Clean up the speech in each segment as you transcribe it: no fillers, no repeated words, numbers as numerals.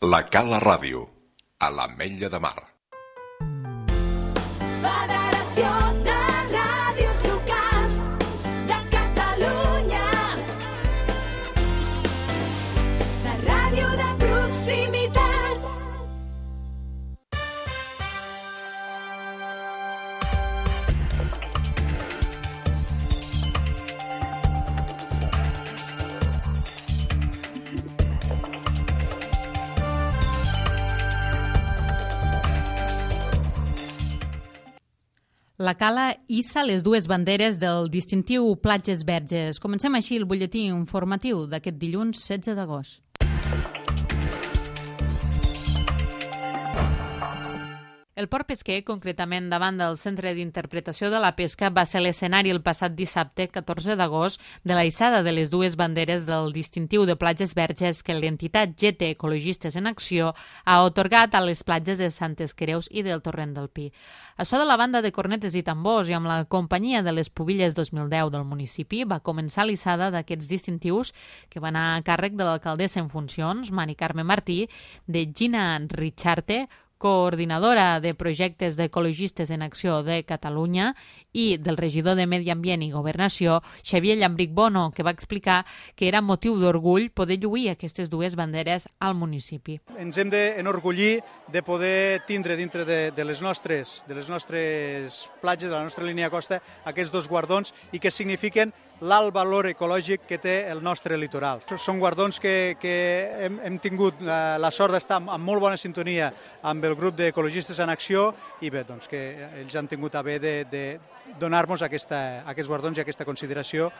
La Cala Ràdio, a l'Ametlla de Mar. Federació de Ràdios Locals de Catalunya. La ràdio de proximitat. La Cala hissa les dues banderes del distintiu Platges Verges. Comencem així el butlletí informatiu d'aquest dilluns 16 d'agost. El port pesquer, concretament davant del Centre d'Interpretació de la Pesca, va ser l'escenari el passat dissabte, 14 d'agost, de la hissada de les dues banderes del distintiu de Platges Verges que l'entitat GT Ecologistes en Acció ha atorgat a les platges de Santes Creus i del Torrent del Pi. Això de la banda de cornetes i tambors i amb la companyia de les Pubilles 2010 del municipi va començar l'hissada d'aquests distintius que van a càrrec de l'alcaldessa en funcions, Mari Carme Martí, de Gina Richarte, coordinadora de projectes d'Ecologistes en Acció de Catalunya, i del regidor de Medi Ambient i Governació, Xavier Llambric Bono, que va explicar que era motiu d'orgull poder lluir aquestes dues banderes al municipi. Ens hem d'enorgullir de poder tindre dintre de les nostres platges, de la nostra línia de costa, aquests dos guardons i que signifiquen l'alt valor ecològic que té el nostre litoral. Són guardons que hem tingut la sort d'estar en molt bona sintonia amb el grup d'Ecologistes en Acció i bé, doncs que ells han tingut a bé de donar-nos aquests guardons i aquesta consideració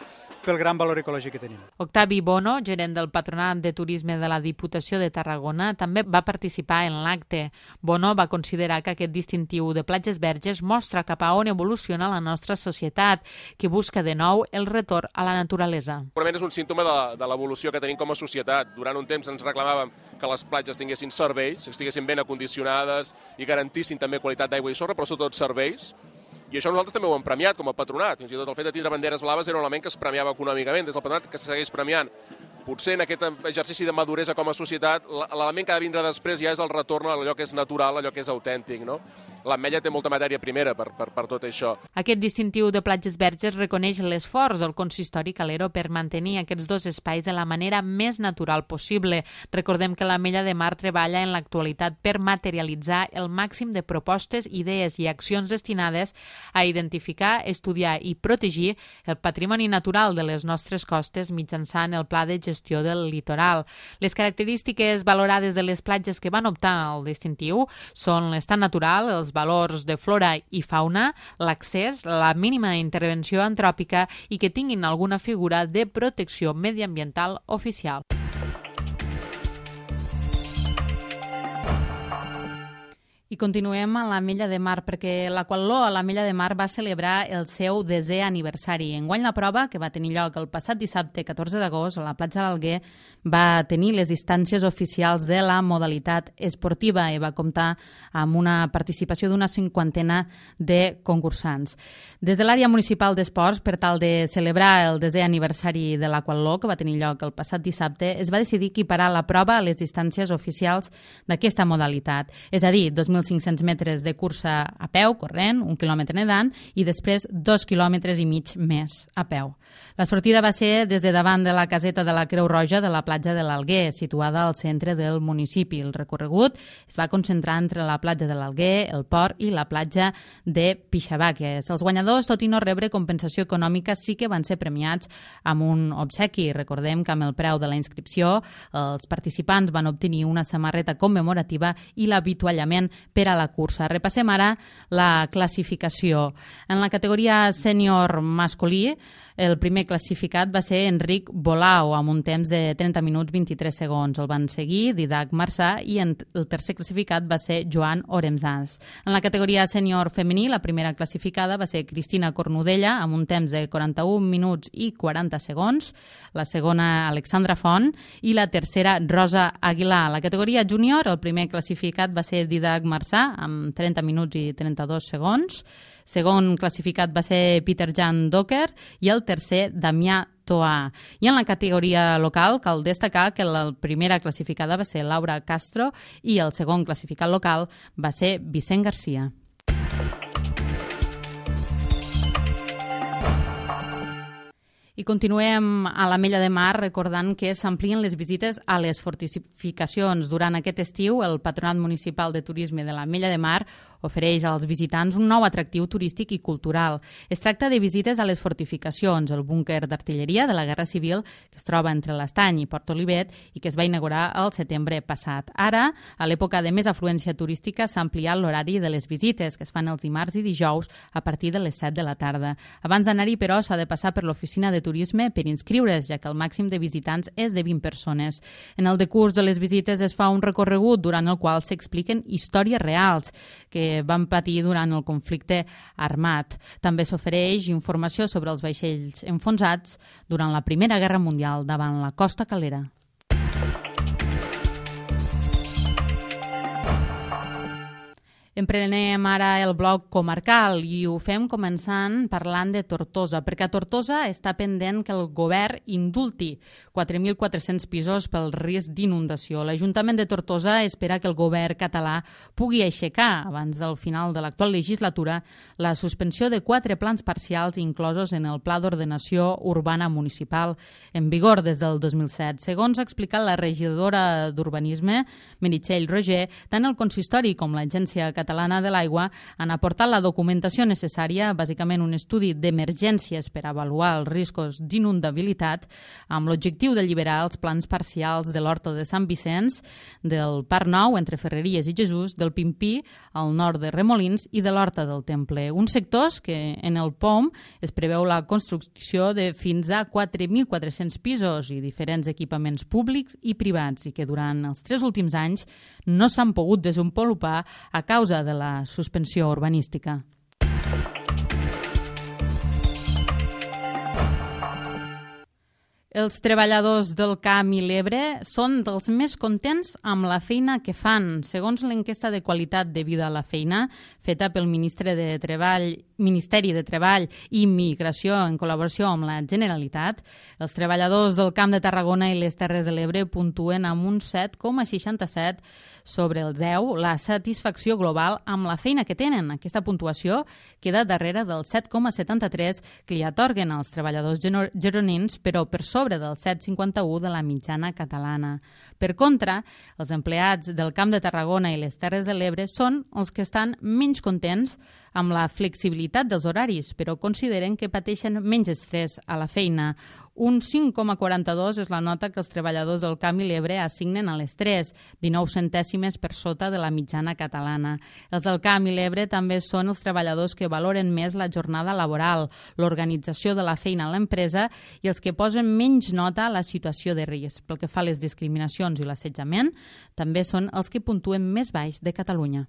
pel gran valor ecològic que tenim. Octavi Bono, gerent del Patronat de Turisme de la Diputació de Tarragona, també va participar en l'acte. Bono va considerar que aquest distintiu de Platges Verges mostra cap a on evoluciona la nostra societat, que busca de nou el retorn a la naturalesa. Segurament és un símptoma de l'evolució que tenim com a societat. Durant un temps ens reclamàvem que les platges tinguessin serveis, estiguessin ben acondicionades i garantissin també qualitat d'aigua i sorra, però sobretot serveis. I això nosaltres també ho hem premiat com a patronat. Fins i tot el fet de tindre banderes blaves era un element que es premiava econòmicament des del patronat, que se segueix premiant. Potser en aquest exercici de maduresa com a societat, l'element que ha de vindre després ja és el retorn a allò que és natural, allò que és autèntic, no? L'Ametlla té molta matèria primera per tot això. Aquest distintiu de Platges Verges reconeix l'esforç del consistori calero per mantenir aquests dos espais de la manera més natural possible. Recordem que l'Ametlla de Mar treballa en l'actualitat per materialitzar el màxim de propostes, idees i accions destinades a identificar, estudiar i protegir el patrimoni natural de les nostres costes mitjançant el Pla de Gestió del Litoral. Les característiques valorades de les platges que van optar al distintiu són l'estat natural, els valors de flora i fauna, l'accés, la mínima intervenció antròpica i que tinguin alguna figura de protecció mediambiental oficial. I continuem a l'Ametlla de Mar, perquè l'Aquatló a l'Ametlla de Mar va celebrar el seu 10è aniversari. Enguany la prova, que va tenir lloc el passat dissabte 14 d'agost a la platja de l'Alguer, va tenir les distàncies oficials de la modalitat esportiva i va comptar amb una participació d'una 50ena de concursants. Des de l'àrea municipal d'esports, per tal de celebrar el 10è aniversari de l'Aquatló, que va tenir lloc el passat dissabte, es va decidir equiparar la prova a les distàncies oficials d'aquesta modalitat, és a dir, 2.500 metres de cursa a peu, corrent, 1 quilòmetre nedant i després 2,5 quilòmetres més a peu. La sortida va ser des de davant de la caseta de la Creu Roja de la platja de l'Alguer, situada al centre del municipi. El recorregut es va concentrar entre la platja de l'Alguer, el port i la platja de Pixabaques. Els guanyadors, tot i no rebre compensació econòmica, sí que van ser premiats amb un obsequi. Recordem que amb el preu de la inscripció els participants van obtenir una samarreta commemorativa i l'avituallament per a la cursa. Repassem ara la classificació. En la categoria sènior masculí, el primer classificat va ser Enric Bolau, amb un temps de 30 minuts 23 segons. El van seguir Didac Marçà i el tercer classificat va ser Joan Oremsans. En la categoria sènior femení, la primera classificada va ser Cristina Cornudella, amb un temps de 41 minuts i 40 segons. La segona, Alexandra Font, i la tercera, Rosa Aguilar. La categoria júnior, el primer classificat va ser Didac Marçà, amb 30 minuts i 32 segons. Segon classificat va ser Peter Jan Docker i el tercer, Damià Toà. I en la categoria local cal destacar que la primera classificada va ser Laura Castro i el segon classificat local va ser Vicent Garcia. I continuem a l'Ametlla de Mar recordant que s'amplien les visites a les fortificacions. Durant aquest estiu, el Patronat Municipal de Turisme de l'Ametlla de Mar ofereix als visitants un nou atractiu turístic i cultural. Es tracta de visites a les fortificacions, el búnquer d'artilleria de la Guerra Civil que es troba entre l'Estany i Port Olivet i que es va inaugurar el setembre passat. Ara, a l'època de més afluència turística, s'ha ampliat l'horari de les visites, que es fan els dimarts i dijous a partir de les 7 de la tarda. Abans d'anar-hi, però, s'ha de passar per l'oficina de turisme per inscriure's, ja que el màxim de visitants és de 20 persones. En el decurs de les visites es fa un recorregut durant el qual s'expliquen històries reals que van patir durant el conflicte armat. També s'ofereix informació sobre els vaixells enfonsats durant la Primera Guerra Mundial davant la costa calera. Emprenem ara el bloc comarcal i ho fem començant parlant de Tortosa, perquè a Tortosa està pendent que el govern indulti 4.400 pisos pel risc d'inundació. L'Ajuntament de Tortosa espera que el govern català pugui aixecar, abans del final de l'actual legislatura, la suspensió de 4 plans parcials inclosos en el Pla d'Ordenació Urbana Municipal, en vigor des del 2007. Segons ha explicat la regidora d'Urbanisme, Meritxell Roger, tant el consistori com l'Agència Catalana de l'Aigua han aportat la documentació necessària, bàsicament un estudi d'emergències per avaluar els riscos d'inundabilitat, amb l'objectiu d'alliberar els plans parcials de l'Horta de Sant Vicenç, del Parc Nou entre Ferreries i Jesús, del Pimpí al nord de Remolins i de l'Horta del Temple. Uns sectors que en el POM es preveu la construcció de fins a 4.400 pisos i diferents equipaments públics i privats i que durant els 3 últims anys no s'han pogut desenvolupar a causa de la suspensió urbanística. Els treballadors del Camp i l'Ebre són dels més contents amb la feina que fan. Segons l'enquesta de qualitat de vida a la feina, feta pel Ministeri de Treball i Migració en col·laboració amb la Generalitat, els treballadors del Camp de Tarragona i les Terres de l'Ebre puntuen amb un 7,67 sobre el 10 la satisfacció global amb la feina que tenen. Aquesta puntuació queda darrere del 7,73 que li atorguen als treballadors gironins, però per sobre del 7,51 de la mitjana catalana. Per contra, els empleats del Camp de Tarragona i les Terres de l'Ebre són els que estan menys contents amb la flexibilitat dels horaris, però consideren que pateixen menys estrès a la feina. Un 5,42 és la nota que els treballadors del Camp i l'Ebre assignen a l'estrès, 19 centèsimes per sota de la mitjana catalana. Els del Camp i l'Ebre també són els treballadors que valoren més la jornada laboral, l'organització de la feina a l'empresa i els que posen menys nota a la situació de risc. Pel que fa a les discriminacions i l'assetjament, també són els que puntuen més baix de Catalunya.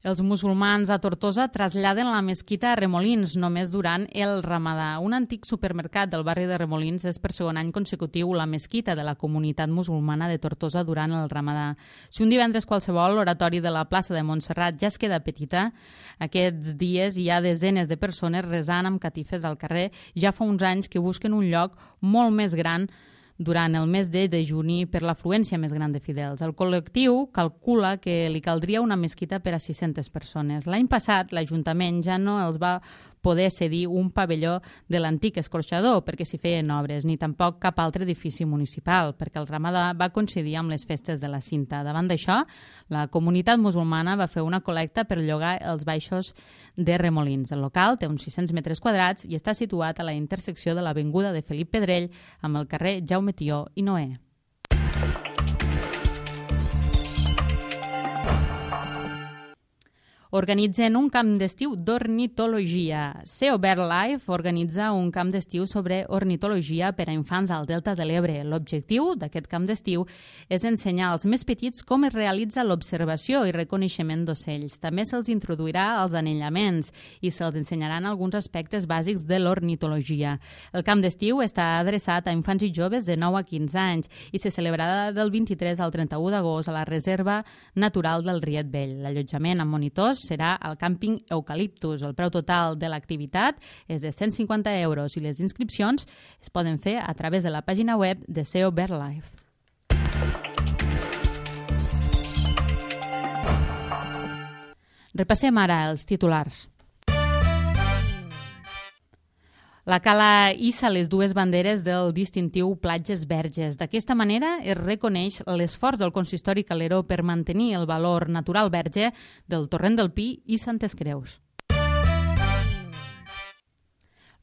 Els musulmans a Tortosa traslladen la mesquita a Remolins només durant el Ramadà. Un antic supermercat del barri de Remolins és per segon any consecutiu la mesquita de la comunitat musulmana de Tortosa durant el Ramadà. Si un divendres qualsevol l'oratori de la plaça de Montserrat ja es queda petita, aquests dies hi ha desenes de persones resant amb catifes al carrer. Ja fa uns anys que busquen un lloc molt més gran durant el mes de dejuni per l'afluència més gran de fidels. El col·lectiu calcula que li caldria una mesquita per a 600 persones. L'any passat, l'Ajuntament ja no els va poder cedir un pavelló de l'antic escorxador perquè s'hi feien obres, ni tampoc cap altre edifici municipal, perquè el Ramadà va coincidir amb les festes de la Cinta. Davant d'això, la comunitat musulmana va fer una col·lecta per llogar els baixos de Remolins. El local té uns 600 metres quadrats i està situat a la intersecció de l'avinguda de Felip Pedrell amb el carrer Jaume Tió i Noé. Organitzen un camp d'estiu d'ornitologia. Sea Bird Life organitza un camp d'estiu sobre ornitologia per a infants al Delta de l'Ebre. L'objectiu d'aquest camp d'estiu és ensenyar als més petits com es realitza l'observació i reconeixement d'ocells. També se'ls introduirà als anellaments i se'ls ensenyaran alguns aspectes bàsics de l'ornitologia. El camp d'estiu està adreçat a infants i joves de 9 a 15 anys i se celebrarà del 23 al 31 d'agost a la Reserva Natural del Riet Vell. L'allotjament amb monitors d'agost serà al càmping Eucaliptus. El preu total de l'activitat és de 150 euros i les inscripcions es poden fer a través de la pàgina web de SEO BirdLife. Repassem ara els titulars. La Cala hissa les dues banderes del distintiu Platges Verges. D'aquesta manera es reconeix l'esforç del consistori Caleró per mantenir el valor natural verge del Torrent del Pi i Santes Creus.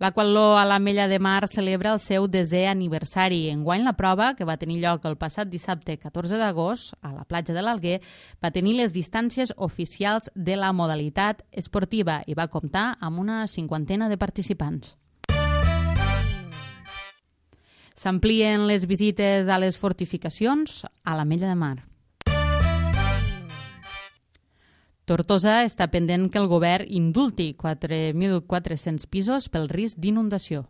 L'Aquatló a l'Ametlla de Mar celebra el seu 10è aniversari. Enguany la prova, que va tenir lloc el passat dissabte 14 d'agost a la platja de l'Alguer, va tenir les distàncies oficials de la modalitat esportiva i va comptar amb una 50ena de participants. S'amplien les visites a les fortificacions a l'Ametlla de Mar. Tortosa està pendent que el govern indulti 4.400 pisos pel risc d'inundació.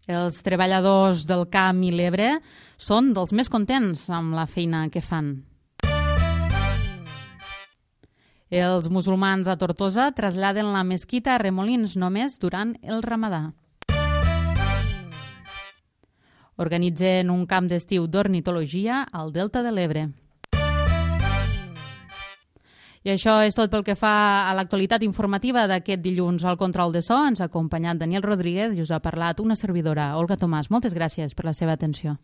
Els treballadors del Camp i l'Ebre són dels més contents amb la feina que fan. Els musulmans a Tortosa traslladen la mesquita a Remolins només durant el Ramadà. Organitzen un camp d'estiu d'ornitologia al Delta de l'Ebre. I això és tot pel que fa a l'actualitat informativa d'aquest dilluns. Al control de so ens ha acompanyat Daniel Rodríguez i us ha parlat una servidora, Olga Tomàs. Moltes gràcies per la seva atenció.